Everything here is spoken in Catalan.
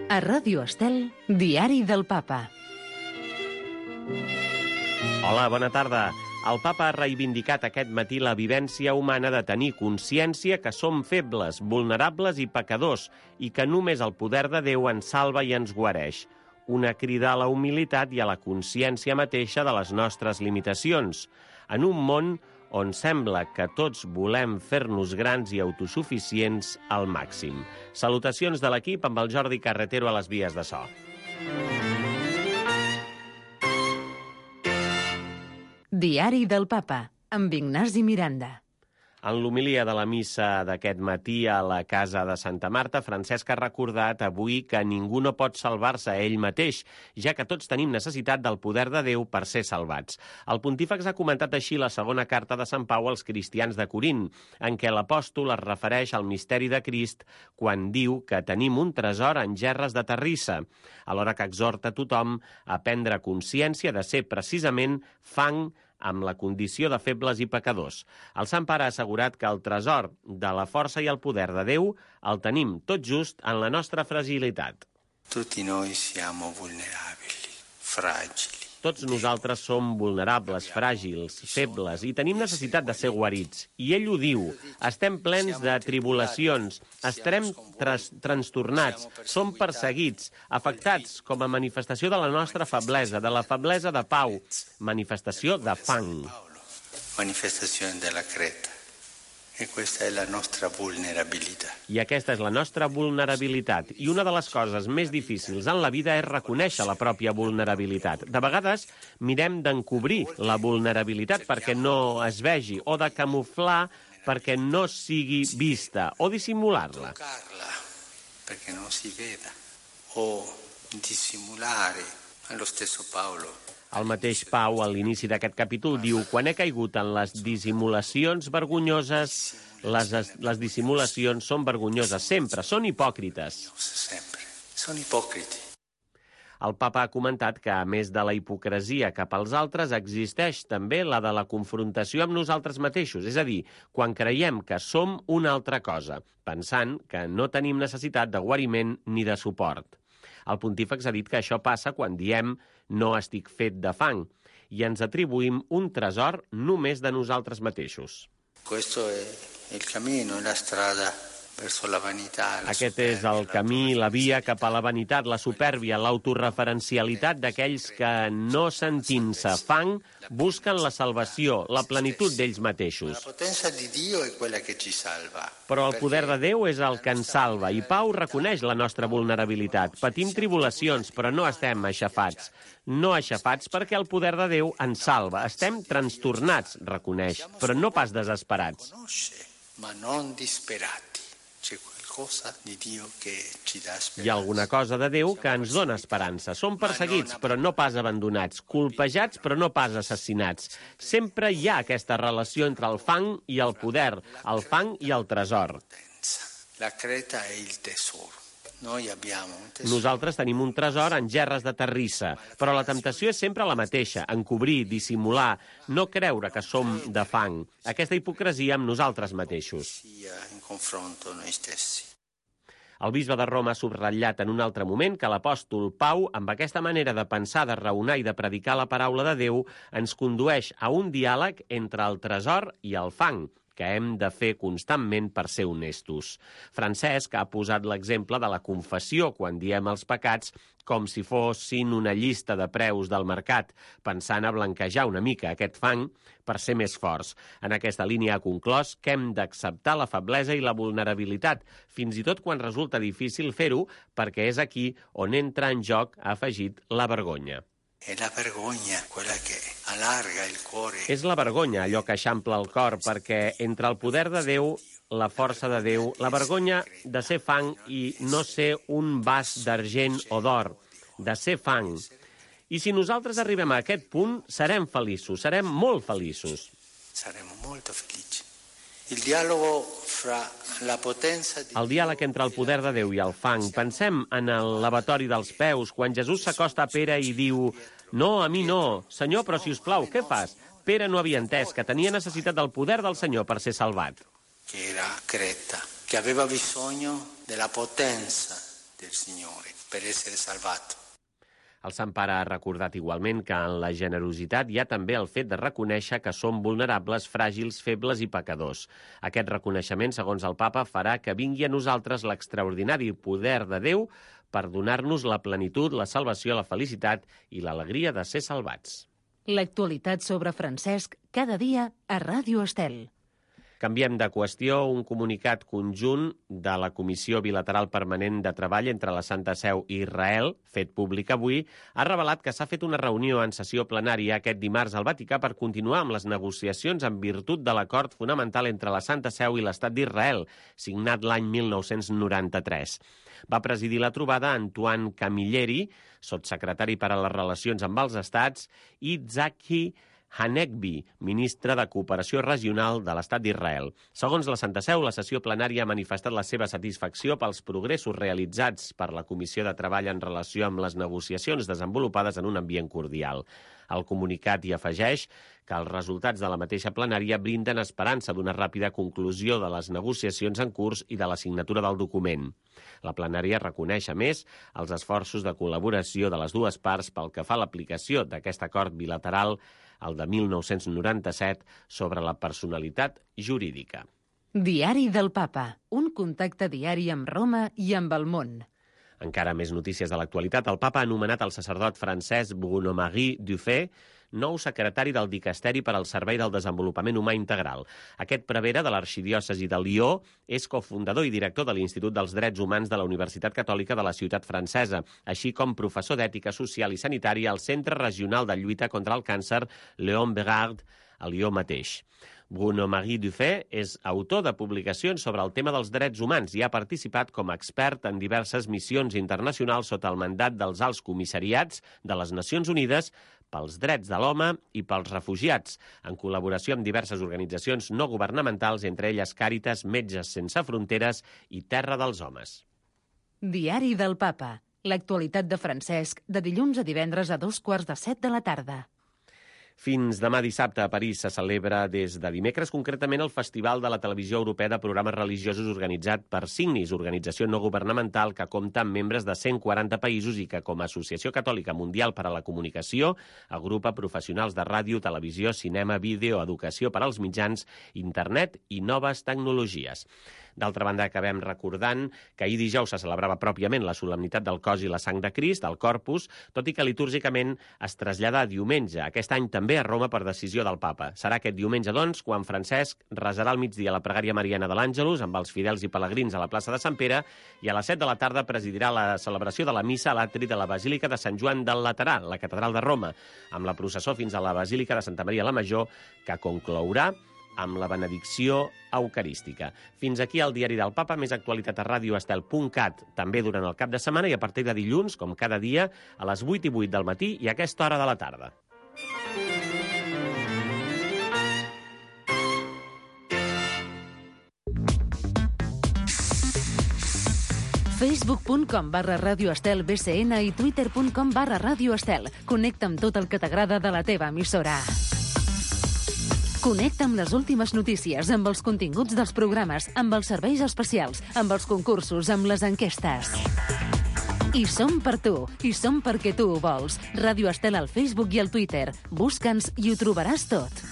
A Ràdio Estel, Diari del Papa. Hola, bona tarda. El Papa ha reivindicat aquest matí la vivència humana de tenir consciència que som febles, vulnerables i pecadors i que només el poder de Déu ens salva i ens guareix. Una crida a la humilitat i a la consciència mateixa de les nostres limitacions. En un món on sembla que tots volem fer-nos grans i autosuficients al màxim. Salutacions de l'equip amb el Jordi Carretero a les vies de so. Diari del Papa, amb Ignasi Miranda. En l'homilia de la missa d'aquest matí a la casa de Santa Marta, Francesc ha recordat avui que ningú no pot salvar-se a ell mateix, ja que tots tenim necessitat del poder de Déu per ser salvats. El pontífex ha comentat així la segona carta de Sant Pau als cristians de Corint, en què l'apòstol es refereix al misteri de Crist quan diu que tenim un tresor en gerres de terrissa, alhora que exhorta tothom a prendre consciència de ser precisament fang amb la condició de febles i pecadors. El Sant Pare ha assegurat que el tresor de la força i el poder de Déu el tenim tot just en la nostra fragilitat. Tutti noi siamo vulnerabili, fragili. Tots nosaltres som vulnerables, fràgils, febles i tenim necessitat de ser guarits. I ell ho diu, estem plens de tribulacions, estarem trastornats, som perseguits, afectats com a manifestació de la nostra feblesa, de la feblesa de Pau, manifestació de fang. Manifestació de la creta. E questa è la nostra vulnerabilità. I aquesta és la nostra vulnerabilitat. I una de les coses més difícils en la vida és reconèixer la pròpia vulnerabilitat. De vegades mirem d'encobrir la vulnerabilitat perquè no es vegi, o de camuflar perquè no sigui vista, o dissimular-la. Toccarla perché non si veda, o dissimulare. Lo stesso Paolo. El mateix Pau, a l'inici d'aquest capítol, diu: quan he caigut en les dissimulacions vergonyoses, les dissimulacions són vergonyoses, sempre, són hipòcrites. Sempre, són hipòcrites. El papa ha comentat que, a més de la hipocresia cap als altres, existeix també la de la confrontació amb nosaltres mateixos, és a dir, quan creiem que som una altra cosa, pensant que no tenim necessitat de guariment ni de suport. El pontífex ha dit que això passa quan diem «no estic fet de fang» i ens atribuïm un tresor només de nosaltres mateixos. Questo è il cammino, la strada verso la vanità. Aquest és el camí, la via cap a la vanitat, la supèrbia, l'autoreferencialitat d'aquells que, no sentint-se fang, busquen la salvació, la plenitud d'ells mateixos. La potenza di Dio è quella che ci salva. Però el poder de Déu és el que ens salva, i Pau reconeix la nostra vulnerabilitat. Patim tribulacions, però no estem aixafats. No aixafats perquè el poder de Déu ens salva. Estem trastornats, reconeix, però no pas desesperats. Ma non disperati. C'è qualcosa di Dio che ci dà speranza. Hi ha alguna cosa de Déu que ens dona esperança. Som perseguits, però no pas abandonats. Colpejats, però no pas assassinats. Sempre hi ha aquesta relació entre el fang i el poder, el fang i el tresor. La creta è il tesoro. Noi abbiamo un tesoro. Nosaltres tenim un tresor en gerres de terrissa, però la temptació és sempre la mateixa, encobrir, dissimular, no creure que som de fang. Aquesta hipocresia amb nosaltres mateixos. In confronto noi stessi. El bisbe de Roma ha subratllat en un altre moment que l'apòstol Pau, amb aquesta manera de pensar, de raonar i de predicar la paraula de Déu, ens condueix a un diàleg entre el tresor i el fang, que hem de fer constantment per ser honestos. Francesc ha posat l'exemple de la confessió quan diem els pecats com si fossin una llista de preus del mercat, pensant a blanquejar una mica aquest fang per ser més forts. En aquesta línia ha conclòs que hem d'acceptar la feblesa i la vulnerabilitat, fins i tot quan resulta difícil fer-ho, perquè és aquí on entra en joc, ha afegit, la vergonya. È la vergogna quella che allarga il cuore. És la vergonya allò que eixampla el cor, perquè entre el poder de Déu, la força de Déu, la vergonya de ser fang i no ser un vas d'argent o d'or, de ser fang. I si nosaltres arribem a aquest punt, serem feliços, serem molt feliços. Saremo molto felici. Il dialogo fra la potenza di El diàleg entre el poder de Déu i el fang. Pensem en el lavatori dels peus, quan Jesús s'acosta a Pere i diu «No, a mi no. Senyor, però si us plau, què fas?» Pere no havia entès que tenia necessitat del poder del Senyor per ser salvat. che era Creta, che aveva bisogno della potenza del Signore. per essere salvato. El Sant Pare ha recordat igualment que en la generositat hi ha també el fet de reconèixer que som vulnerables, fràgils, febles i pecadors. Aquest reconeixement, segons el Papa, farà que vingui a nosaltres l'extraordinari poder de Déu per donar-nos la plenitud, la salvació, la felicitat i l'alegria de ser salvats. L'actualitat sobre Francesc cada dia a Ràdio Estel. Canviem de qüestió. Un comunicat conjunt de la Comissió Bilateral Permanent de Treball entre la Santa Seu i Israel, fet públic avui, ha revelat que s'ha fet una reunió en sessió plenària aquest dimarts al Vaticà per continuar amb les negociacions en virtut de l'acord fonamental entre la Santa Seu i l'Estat d'Israel, signat l'any 1993. Va presidir la trobada Antoine Camilleri, sotssecretari per a les relacions amb els estats, i Tzaki Hanegbi, ministre de Cooperació Regional de l'Estat d'Israel. Segons la Santa Seu, la sessió plenària ha manifestat la seva satisfacció pels progressos realitzats per la Comissió de Treball en relació amb les negociacions desenvolupades en un ambient cordial. El comunicat hi afegeix que els resultats de la mateixa plenària brinden esperança d'una ràpida conclusió de les negociacions en curs i de la signatura del document. La plenària reconeix, a més, els esforços de col·laboració de les dues parts pel que fa a l'aplicació d'aquest acord bilateral, el de 1997, sobre la personalitat jurídica. Diari del Papa, un contacte diari amb Roma i amb el món. Encara més notícies de l'actualitat. El Papa ha anomenat el sacerdot francès Bruno-Marie Dufay nou secretari del Dicasteri per al Servei del Desenvolupament Humà Integral. Aquest prevere de l'arxidiòcesi de Lió és cofundador i director de l'Institut dels Drets Humans de la Universitat Catòlica de la ciutat francesa, així com professor d'ètica social i sanitària al Centre Regional de Lluita contra el Càncer Léon Bérard, a Lió mateix. Bruno-Marie Dufay és autor de publicacions sobre el tema dels drets humans i ha participat com a expert en diverses missions internacionals sota el mandat dels alts comissariats de les Nacions Unides pels drets de l'home i pels refugiats, en col·laboració amb diverses organitzacions no governamentals, entre elles Càritas, Metges Sense Fronteres i Terra dels Homes. Diari del Papa. L'actualitat de Francesc, de dilluns a divendres a 7:15 de la tarda. Fins demà dissabte a París se celebra des de dimecres concretament el Festival de la Televisió Europea de Programes Religiosos organitzat per Signis, organització no governamental que compta amb membres de 140 països i que, com a Associació Catòlica Mundial per a la Comunicació, agrupa professionals de ràdio, televisió, cinema, vídeo, educació per als mitjans, internet i noves tecnologies. D'altra banda, acabem recordant que ahir dijous se celebrava pròpiament la solemnitat del cos i la sang de Crist, el Corpus, tot i que litúrgicament es trasllada a diumenge, aquest any també a Roma per decisió del Papa. Serà aquest diumenge, doncs, quan Francesc resarà al migdia la pregària mariana de l'Àngelus amb els fidels i pelegrins a la plaça de Sant Pere i a les 7 de la tarda presidirà la celebració de la missa a l'atri de la Basílica de Sant Joan del Laterà, la catedral de Roma, amb la processó fins a la Basílica de Santa Maria la Major, que conclourà amb la benedicció eucarística. Fins aquí el Diari del Papa, més actualitat a radioestel.cat, també durant el cap de setmana i a partir de dilluns, com cada dia, a les 8:08 del matí i a aquesta hora de la tarda. Facebook.com/radioestel BCN i Twitter.com/radioestel. Connecta amb tot el que t'agrada de la teva emissora. Connecta amb les últimes notícies, amb els continguts dels programes, amb els serveis especials, amb els concursos, amb les enquestes. I som per tu, i som perquè tu ho vols. Ràdio Estel al Facebook i al Twitter. Busca'ns i ho trobaràs tot.